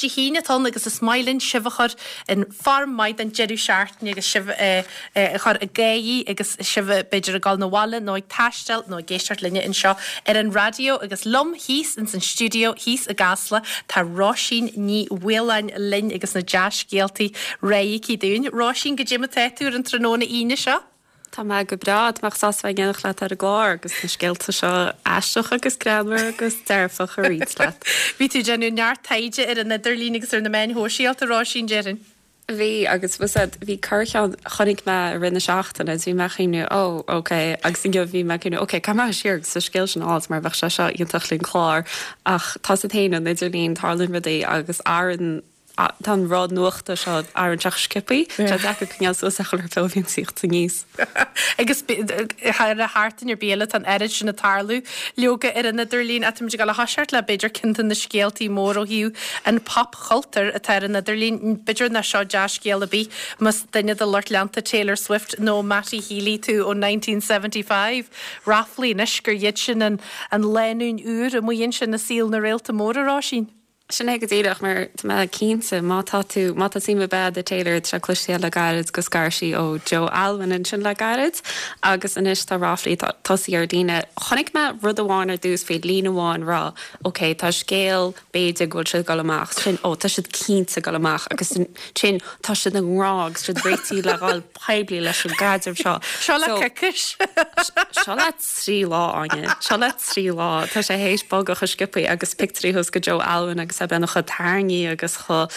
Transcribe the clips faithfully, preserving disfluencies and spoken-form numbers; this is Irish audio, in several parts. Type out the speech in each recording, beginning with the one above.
Dé hAoine atá ann agus is maith linn sibh a chur in form maith don deireadh seachtaine agus sibh eh, eh, a chur i gcaoi agus sibh b'fhéidir ag dul na bhaile nó ag taisteal nó ag éisteacht linne anseo ar an raidió agus liom thíos ins an stiúideo thíos i gCasla tá Róisín Ní Mhaoláin linn agus na dea-scéaltaí réidh aici dúinn. Róisín goidé mar atá tú ar an tráthnóna Aoine seo? Tá mé go breá tá mé sásta bheith in éineacht leat ar an gclár agus na scéalta seo aisteach agus greannmhar agus dearfach a roinnt leat. Bhí tú déanamh neart taighde ar an idirlíon agus ar na meáin shóisialta Róisín déarfainn. Bhí agus bhí corrcheann chonaic mé i rith na seachtaine bhí mé cuimhneamh ó ok agus inniu bhí mé cuimhneamh ok cá siar agus sa scéal sin áit mar bheadh sé seo iontach linn clár ach tá sé féin an idirlíon tarlaíonn rudaí agus aran tá an rud nuachta seo ar an teach sciobtha Tá deacair coinneáil suas a chur bhíonn síocht níos. Agus thar a hartain ar bíle an oiread sin ag tarlú leoga ar an idirlíon atá ag le haseart le b'fhéidir ceann de na scéaltaí mór ó thaobh an popchultúr atá ar an idirlíon b'fhéidir nach seo dea-scéal ar bith más duine de lucht leanta Taylor Swift nó Matty Healy tú ó nineteen seventy five. Ráflaí anois gur iad sin an an lánúin úr amuigh ansin i saol na réalta móra Róisín. Sin é go díreach mar tá mé cinnte má tá tú má tá suim agat i Taylor tá cloiste le gairid go scar sí ó Joe Alwyn ansin le gairid agus anois tá ráflaí tosaithe ar líne. Chonaic mé rud amháin ar dtús faoi líne amháin rá, Ok tá scéal b'fhéidir go bhfuil siad dul amach sin ó tá siad cinnte dul amach agus sin tá siad an rá agus siad réitithe le dhul poiblí leis an gcaidreamh seo. Seo le coicís. Seo le trí lá Áine, seo le trí lá tá sé théis bogadh chomh sciobtha agus pictiúirí thuas go Joe Alwyn agus a bheith chomh tarraingthe agus chomh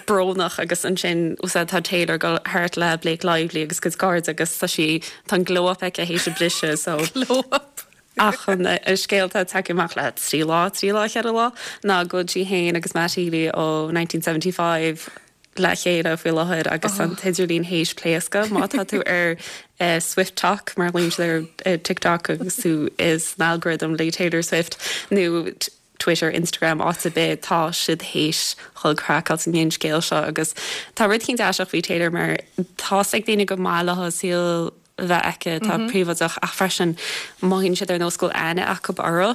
brónach agus ansin úsáid tá Taylor go thart le Blake Lively agus cuid cairde agus tá sí tá an glow up aici théis a briseadh so Glow up. Ach an scéalta tagtha amach le trí lá trí lá ceithre lá ná go bhfuil sí féin agus Matt Healy ó nineteen seventy five le chéile faoi láthair agus an t-idirlíon théis pléascadh má tá tú ar uh, SwiftTok mar líon ar uh, TikTok agus tú is an algorithm le Taylor Swift nó Twitter, Instagram áit ar bith tá siad théis chul craiceáilte an scéal seo agus tá rud éicint aisteach faoi Taylor mar tá ag daoine go maith le saol bheith aici tá príobháideach ach freisin mothaíonn siad ar nós go bhfuil aithne acu orthu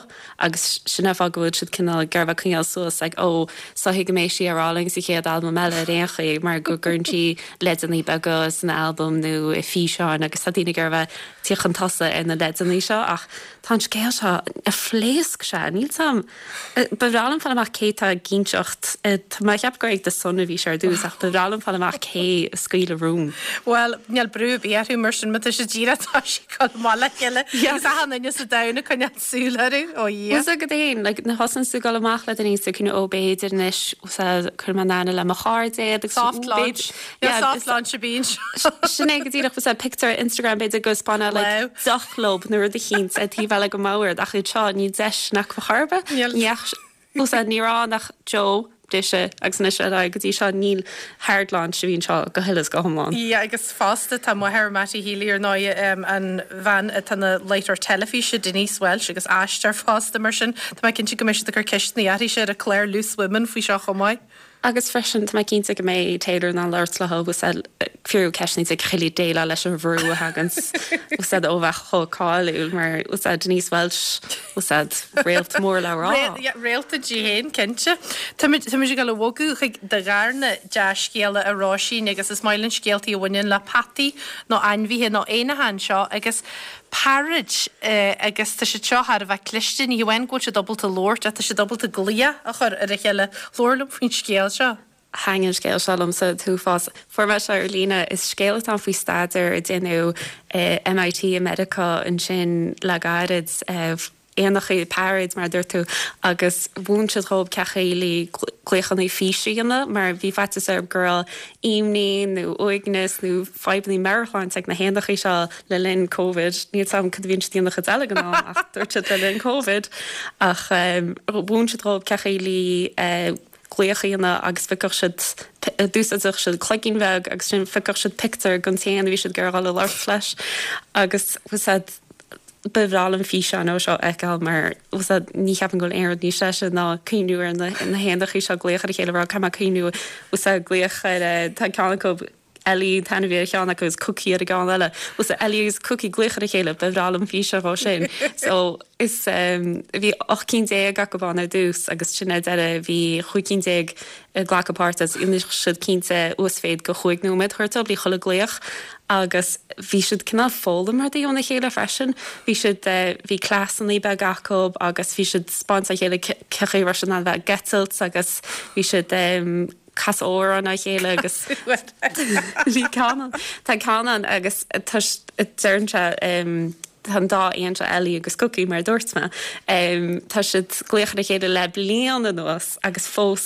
agus sin an fáth go bhfuil siad cineál ag iarraidh coinneáil suas ag ó soithigh go mbeidh sí ar álainn sa chéad albam eile ar aon chaoi mar go gcuireann sí leideanna beaga san albam nó i físeáin agus tá daoine ag iarraidh teacht chun tosaigh ar na leideanna seo ach tá an scéal seo a phléasc sé níl sam ba bhreá liom fáil amach cé tá ag inseacht tá mé ag ceapadh gur ag The Sun a bhí sé ar dtús ach ba bhreá liom fáil amach cé a scaoil an rún. Well níl brú ar bith orthu mar sin má tá sé díreach tá sé chun maith le chéile agus achan duine sa domhan ag coinneáil súil orthu ó Dhia. Is go dtéin like na thosaíonn tú dul amach le daoine so cinn ó b'fhéidir anois chuir mé in aithne le mo chairde agus Soft launch. Yeah, soft launch a bíonn. Sin é go díreach was picture Instagram b'fhéidir go spána like deoch leo nó rud éicint ag taobh eile go mbord ach iad seo ní deis nach charbe ní rá nach Joe briseadh agus anois ar aghaidh go dtí seo níl hard launch a bhíonn seo go huile is go hiomlán. Yeah, agus fosta tá máthair Matty Healy ar ndóigh an bhean atá ina láithreoir teilifíse Denise Welch agus aisteoir fosta mar sin tá mé cinnte go mbeidh siad ag cur ceisteanna uirthi ar an chlár Loose Women faoi seo chomh maith. Agus freisin tá mé cinnte go mbeidh Taylor ná labhairt le agus fiú ceisteanna ag chuile déileáil leis an bhrú a thagann úsáid ó bheith chomh cáiliúil mar úsáid Denise Welch úsáid réalt mór le rá. Réalta di féin cinnte. Tá muid ag dul a bhogadh chuig do dharna dea-scéala a Róisín agus is maith linn scéaltaí a bhaineann le peataí nó ainmhithe nó éanacha anseo agus parrots agus tá siad seo thar a bheith cliste ní hamháin go bhfuil siad ábalta labhairt ach tá siad ábalta glaoch a chur ar a chéile labhair liom faoin scéal seo. Thaitin an scéal seo liomsa an t-uafás. Fuair mé seo ar líne is scéal atá faoi staidéar a déanadh M I T i Meiriceá ansin le gairid éanacha parrots mar a dúirt tú agus mhúin siad dhóibh cén chaoi le glaochanna físe a dhéanamh mar bhí faitíos orthu go raibh imní nó uaigneas nó fadhbanna meabhairshláinte ag na héanacha seo le linn Covid. Níl a fhios agam cad a bhíonn siad ag déanamh chuid eile den am ach dúirt siad le linn Covid ach mhúin siad dhóibh cén chaoi le glaoch a dhéanamh agus phiocfadh siad d'úsáideadh siad cloigín bheag agus sin phiocfadh siad pictiúr den t-éan a bhí siad ag iarraidh dul a labhairt leis agus úsáid ba bhreá liom físeán ó seo a fheiceáil mar úsáid ní cheapaim go bhfuil aon rud níos deise ná cuimhniú ar na na héanacha seo glaoch ar a chéile rá caithfidh mé cuimhniú úsáid glaoch ar tá ceann acu Ellie an t-ainm a bhí ar cheann acu agus Cookie ar an gceann eile. Bhuel so Ellie agus Cookie ag glaoch ar a chéile, ba bhreá liom físeán dhó sin. So is um, bhí ocht cinn déag acu ann ar dtús agus sin ar deireadh bhí chúig cinn déag ag glacadh páirt agus rinne siad cinnte uasmhéid go chúig nóiméad a thabhairt dóibh le chuile glaoch agus bhí siad cineál foghlaim rudaí óna chéile freisin. Bhí siad eh, bhí cleasanna beaga acu agus bhí siad spáint a chéile cé chaoi a raibh siad in ann bheith ag eitilt agus bhí siad um, casadh amhrán dá chéile agus bhí ceann tá ceann ann agus deireann sé tá an dá éan seo Ellie agus Cookie mar dúirt mé. Um, tá siad glaoch ar a chéile le bliain anuas agus fós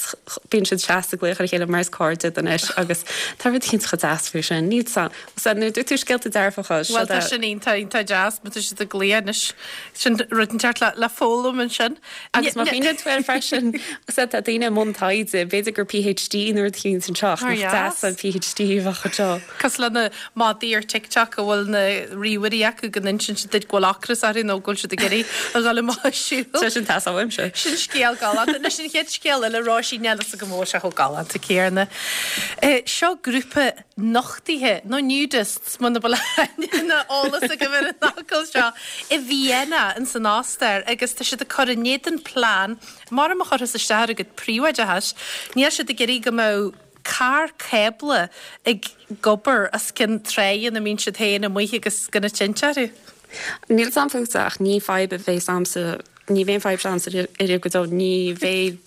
bíonn siad seasta glaoch ar a chéile mar is cairde anois agus tá rud éicint chomh deas faoi sin. Níl san nuair dúirt tú scéalta dearfacha Well tá sin iontach iontach deas, má tá siad ag glaoch anois sin rud inteacht le le foghlaim ansin. Agus má chuimhníonn tú air freisin tá daoine i mbun taighde, b'fhéidir gur PhD nuair a chéann san teach Ar deas an PhD bheadh seo. Cosúil le na madaí ar TikTok a bhfuil na ríomhairí acu go n-insíonn siad duit go bhfuil ocras orthu nó go bhfuil siad ag iarraidh a dhul amach ag siúl. Tá sin tas uaimse. Sin scéal galánta. Anois an chéad scéal eile Róisín níl a fhios agam an bhfuil sé chomh galánta céanna. Eh, seo grúpa nochtaithe nó nudists muna bhfuil na eolas agaibh ar an fhocal seo i Vienna in san Ostair agus tá siad ag cur in éadan plean mar a chuirfeas isteach ar a gcuid príobháideachais. Níl siad ag iarraidh go mbeadh carr cábla ag gobar as cionn trá ina mbíonn siad féin amuigh agus gona tinte orthu. Níl sam fútsa ach ní fadhb a bheas a'msa ní bheidh fadhb a'msa riamh go deo ní bheidh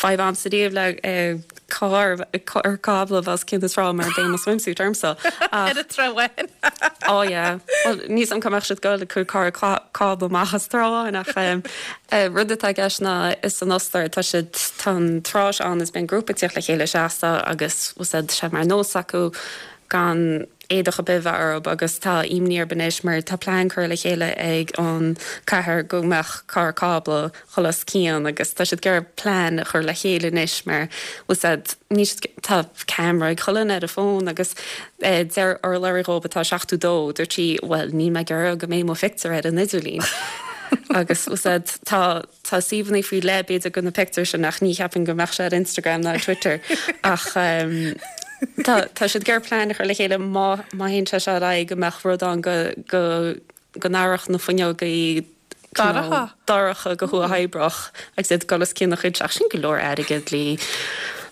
fadhb a'msa riamh le eh, carr ar cábla os cionn na trá mar beidh mo swimsuit ormsa. Ar an trá amháin. Ó yeah. Well, níl 's a'm cá mbeadh siad ag goil cur carr cábla amach as trá ach um, uh, rud atá i gceist ná is san Ostair tá siad tá an trá ann is bíonn grúpa ag tíocht le chéile seasta agus úsáid sé mar nós acu gan éadach ar bith orthu agus tá imní orthu anois mar tá plean curtha le chéile ag an cathair go mbeadh carr cábla dul os cionn agus tá siad ag iarraidh plean a chur le chéile anois mar úsáid ní tá camera ag chuile dhuine ar a fón agus eh, deir urlabhraí dhóibh atá seachtó dó dúirt sí well ní mé gur go mbeidh mo phictiúr ar an idirlíon. agus úsáid tá tá suíomhanna faoi leith b'fhéidir go na pictiúir sin ach ní cheapaim go mbeadh sé ar Instagram ná Twitter ach um, Tá tá siad ag iarraidh plean a chur le chéile má má théann sé seo ar aghaidh go mbeadh rud ann go go go n-éireodh na fuinneogaí Dorcha. dorcha go huathoibríoch agus iad dul os cionn a chuid ach sin go leor airgead le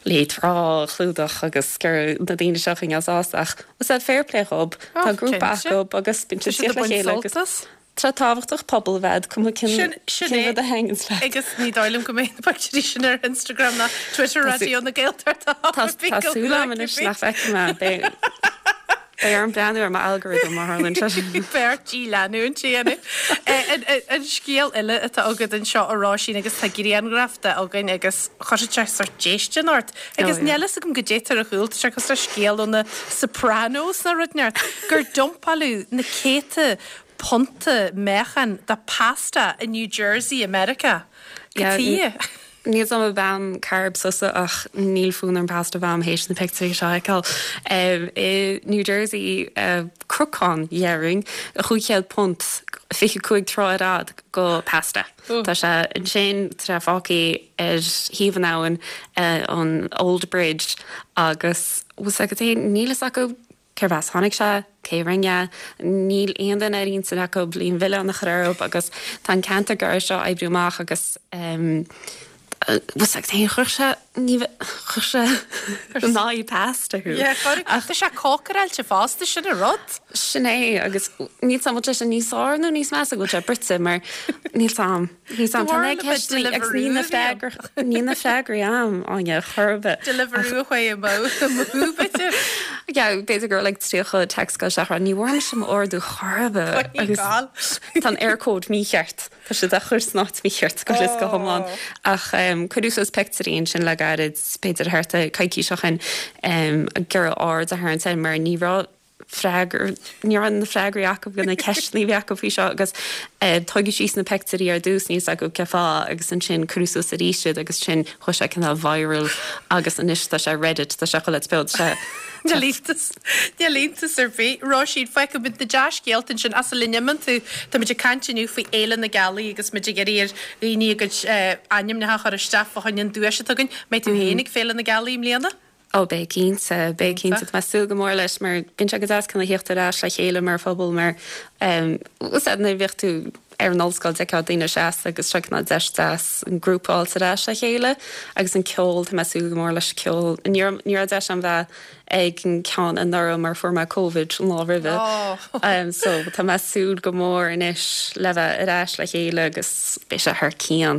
le trá a chlúdach agus gur na daoine seo in sásta ach was that fair play dhóibh Tá grúpa acu agus bíonn Tá siad siad ag le baint chéile agus sult as. Tá tábhachtach pobal a bheith cuma cin Sin sin cin é. rud a thaitníonn leat. Agus ní dóigh liom go mbeidh na pictiúirí sin ar Instagram ná Twitter Raidió na Gaeltachta. Tá tá súil agam anois nach bhfeicfidh mé beidh beidh orm breathnú ar m'algorithm mar tharlaíonn sé. Beirt í leanúint déanamh. An scéal eile atá agat anseo a Róisín agus tá grianghraf de againn agus chuir sé sort déistin ort. Agus Oh, yeah. níl a fhios agam goidé ar a chúl, tá sé cosúil le scéal ó na Sopranos nó rud inteacht, gur dumpáladh na céadta punta meáchan de pasta i New Jersey, America. Yeah, Cad tuighe? Níl am a bhean carb sosa ach níl fonn orm pasta a bheith théis na pictiúirí seo a fheiceáil. Um, i New Jersey uh, crucán dhéarfainn chúig chéad punt fiche cúig troigh ar fhad go pasta. Oh. Tá sé ansin tá sé fágtha ar thaobh an abhainn uh, an Old Bridge agus was agat é níl fhios acu cérbh as tháinig sé, cé rinne, níl aon duine ar intinn acu bliain mhilleán a chur orthu agus tá an ceantar gar seo oibriú amach agus um, was ag é chuir sé ní chuir sé ná pasta thú. Yeah, chuir- Tá sé cócaráilte fosta sin an rud. Sin é agus níl sam sé níos fearr nó níos measa go sé bruite mar níl sam níl sam Do bharúil a bit agus ní na Deliveroo freagra ní na freagraí am Áine chorbe. Deliveroo chuig mó bit. Ja, b'fhéidir gur like tríocha text go seach ní bhfuair sem ordú chorbe agus tá an Eircode mícheart Tá sé a chur san áit mícheart go is go hiomlán ach um, cuireadh suas pictiúirí sin le gairid b'fhéidir thart coicís ó shin um, gur ard a tharraingt mar ní raibh freagra ní raibh na freagraí acu go na ceisteanna bhí acu faoi seo agus uh, tógadh síos na pictiúirí ar dtús níos acu cefá agus ansin cuireadh suas arís iad agus sin chuaigh sé cineál viral agus anois tá sé Reddit tá sé chuile áit sé Níl iontas Níl iontas ar bith Róisín feicfimid na dea-scéalta sin as a linne tú Tá muid ag caint inniu faoi Fhéile na Gealaí agus muid ag iarraidh ar dhaoine a gcuid ainmneacha a chur isteach fá choinne an duais atá againn. Mbeidh tú féin ag Féile na Gealaí i mbliana? Ó beidh cinnte beidh cinnte tá súil go mór leis mar bíonn sé go deas chun a theacht ar ais le chéile mar phobal mar um, nuair bhíodh tú ar an ollscoil de daoine seas agus se ná deis deas an grúpáil ar ais le chéile agus an ceol tá mé súil go mór leis ceol ní raibh deis agam bheith ag an ceann anuraidh mar fuair mé COVID an lá roimhe. Oh. um, so tá mé súil go mór anois le bheith ar ais le chéile agus beidh sé thar cionn.